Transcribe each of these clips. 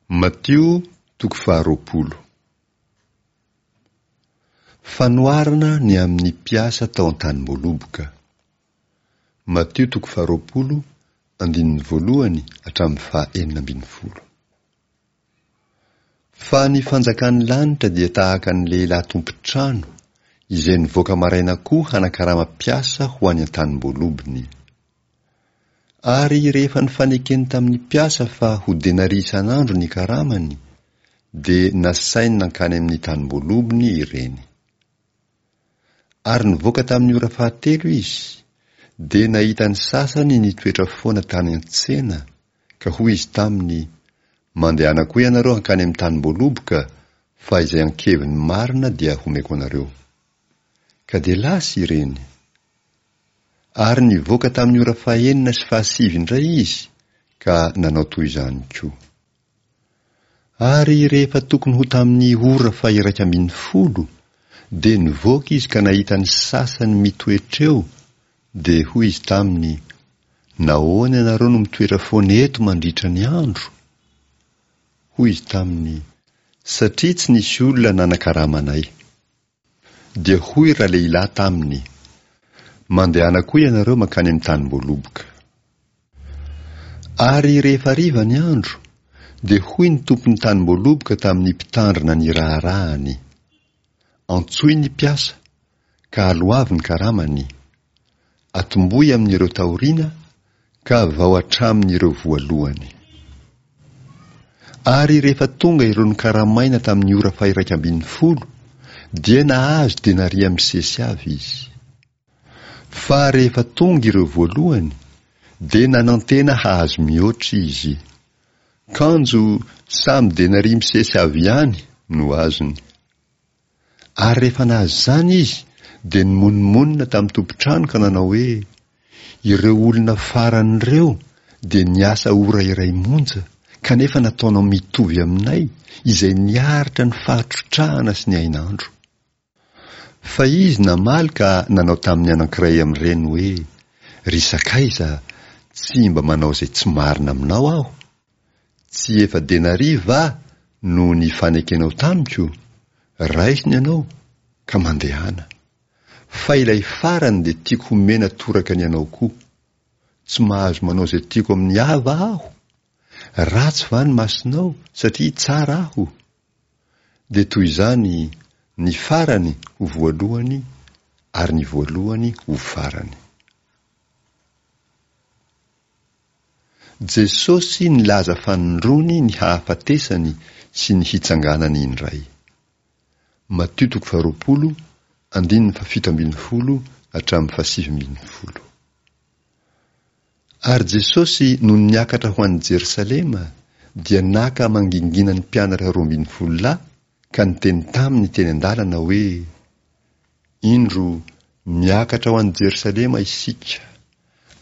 Matio toko faharoapolo. Fanoharana ny amin'ny mpiasa tao an-tanim-boaloboka. Matio toko faharoapolo, andininy voalohany hatramin'ny faha-16. Fa ny fanjakan'ny lanitra dia tahaka ny lehilahy tompon-trano izay nivoaka maraina koa hanakarama mpiasa ho any an-tanim-boalobony. Ary rehefa nifanekeny tamin'ny mpiasa fa ho denaria isan'andro ny karamany, dia nasainy nankany amin'ny tanim-boalobony ireny. Ary nivoaka tamin'ny ora fahatelo izy, dia nahita ny sasany nitoetra foana tany an-tsena, ka hoy izy taminy, Mandehana koa ianareo hankany amin'ny tanim-boaloboka, fa izay ankeviny marina dia homeko anareo. Ka dia lasa ireny. Ary nivoaka tamin'ny ora fahenina sy fahasivy indray izy, ka nanao toy izany koa. Ary rehefa tokony ho tamin'ny ora faha-11, dia nivoaka izy ka nahita ny sasany mitoetra eo, dia hoy izy taminy, Nahoana ianareo no mitoetra foana eto mandritra ny andro? Hoy izy taminy, Satria tsy nisy olona nanakarama anay. Dia hoy ralehilahy taminy, Mandehana koa ianareo mankany amin'ny tanim-boaloboka. Ary rehefa hariva ny andro, dia hoy ny tompon'ny tanim-boaloboka tamin'ny mpitandrina ny raharahany, Antsoy ny mpiasa, ka aloavy ny karamany. Atombohy amin'ireo taoriana ka vao hatramin'ireo voalohany. Ary rehefa tonga ireo nokaramaina tamin'ny ora faha-11, dia nahazo denaria misesy avy izy. Fa rehefa tonga ireo voalohany, dia nanantena hahazo mihoatra izy. Kanjo samy denaria misesy avy ihany no azony. Ary rehefa nahazo izany izy, dia nimonomonona tamin'ny tompon-trano ka nanao hoe, Ireo olona farany ireo dia niasa ora iray monja, kanefa nataonao mitovy aminay, izay niaritra ny fahatrotrahana sy ny hainandro. Fa izy namaly ka nanao tamin'ny anankiray amin'ireny hoe, Ry sakaiza, tsy mba manao izay tsy marina aminao aho. Tsy efa denaria va no nifanekenao tamiko? Raiso ny anao, ka mandehana. Fa ilay farany dia tiako homena toraka ny anao koa. Tsy mahazo manao izay tiako amin'ny ahy va aho? Ratsy va ny masonao satria tsara aho? Dia toy izany ny farany ho voalohany ary ny voalohany ho farany. Jesosy nilaza fanindroany ny hahafatesany sy ny hitsanganany indray. Matio toko faharoapolo, andininy fahafito ambin'ny folo hatramin'ny fahasivy ambin'ny folo. Ary Jesosy nony niakatra ho any Jerosalema dia naka mangingina ny mpianatra 12 lahy ka niteny taminy teny an-dalana hoe, Indro, miakatra ho any Jerosalema isika,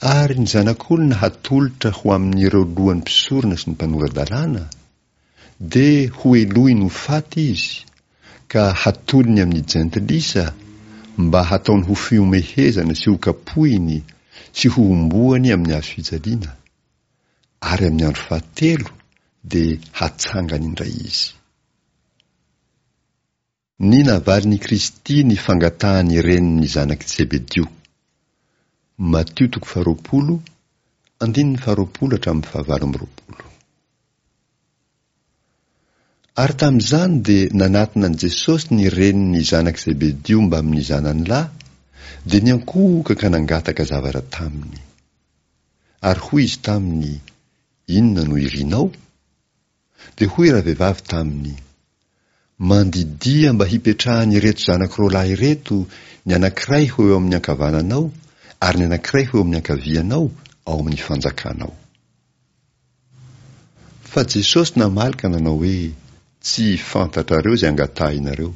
ary ny Zanak'olona hatolotra ho amin'ireo lohan'ny mpisorona sy ny mpanora-dalàna, dia hohelohiny ho faty izy, ka hatolony amin'ny jentilisa, mba hataony ho fihomehezana sy hokapohiny sy hohomboany amin'ny hazo fijaliana, ary amin'ny andro fahatelo dia hatsangany indray izy. Ny navalin'i Kristy ny fangatahan'ny renin'ny zanak'i Zebedio. Matio toko faharoapolo, andininy faharoapolo hatramin'ny fahavalo amby roapolo. Ary tamin'izany dia nanatona an'i Jesosy ny renin'ny zanak'i Zebedio mbamin'ny zanany lahy, dia niankohoka ka nangataka zavatra taminy. Ary hoy izy taminy, Inona no irinao? Dia hoy ravehivavy taminy, Mandidia mba hipetrahan'ireto zanako roalahy ireto, ny anankiray ho eo amin'ny ankavananao, ary ny anankiray ho eo amin'ny ankavianao, ao amin'ny fanjakanao. Fa Jesosy namaly ka nanao hoe, Tsy fantatrareo izay angatahinareo.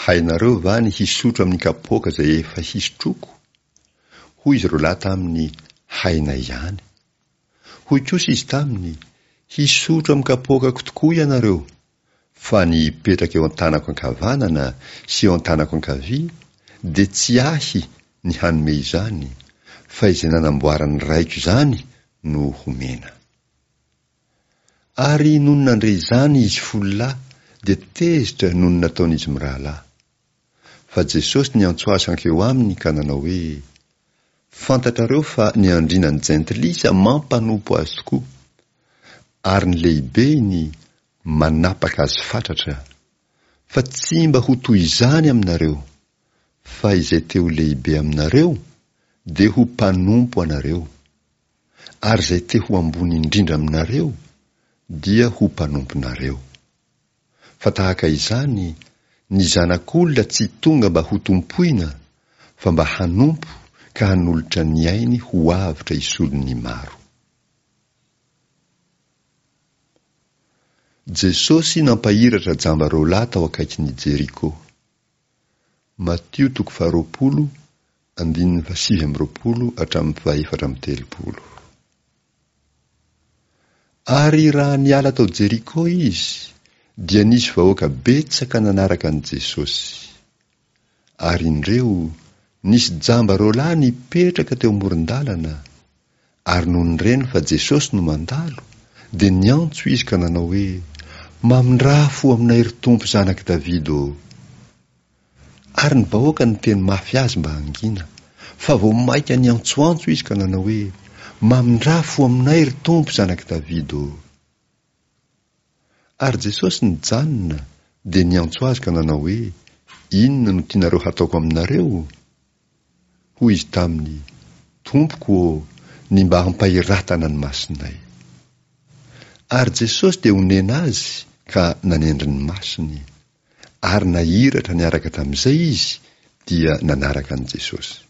Hainareo va ny hisotro amin'ny kapoaka izay efa hisotroako? Hoy izy roalahy taminy, Hainay ihany. Hoy kosa izy taminy, Hisotro amin'ny kapoakako tokoa ianareo, fa ny hipetraka eo an-tanako ankavanana sy eo an-tanako ankavia dia tsy ahy ny hanome izany, fa izay nanamboaran'ny Raiko izany no homena. Ary nony nandre izany izy fololahy dia tezitra noho ny nataon'izy mirahalahy. Fa Jesosy niantso azy hankeo aminy ka nanao hoe, Fantatrareo fa ny andriana ny jentilisa mampanompo azy tokoa, ary ny lehibeny manapaka azy fatratra. Fa tsy mba ho toy izany aminareo, fa izay te ho lehibe aminareo dia ho mpanompo anareo, ary izay te ho ambony indrindra aminareo dia ho mpanomponareo. Fa tahaka izany, ny Zanak'olona tsy tonga mba hotompoina, fa mba hanompo ka hanolotra ny ainy ho avotra hisolo ny maro. Jesosy nampahiratra jamba roalahy tao akaikin'i Jeriko. Matio toko faharoapolo, andininy fahasivy amby roapolo hatramin'ny fahefatra amby telopolo. Ary raha niala tao Jeriko izy, dia nisy vahoaka betsaka nanaraka an'i Jesosy. Ary indreo, nisy jamba roalahy nipetraka teo amoron-dalana, ary nony reny fa Jesosy no mandalo, dia niantso izy ka nanao hoe, Mamindrà fo aminay ry Tompo Zanak'i Davida ô! Ary ny vahoaka niteny mafy azy mba hangina, fa vao mainka niantsoantso izy ka nanao hoe, Mamindrà fo aminay ry Tompo Zanak'i Davida ô! Ary Jesosy nijanona, dia niantso azy ka nanao hoe, Inona no tianareo hataoko aminareo? Hoy izy taminy, Tompoko ô, ny mba hampahiratana ny masonay. Ary Jesosy dia onena azy ka nanendry ny masony. Ary nahiratra niaraka tamin'izay izy dia nanaraka an'i Jesosy.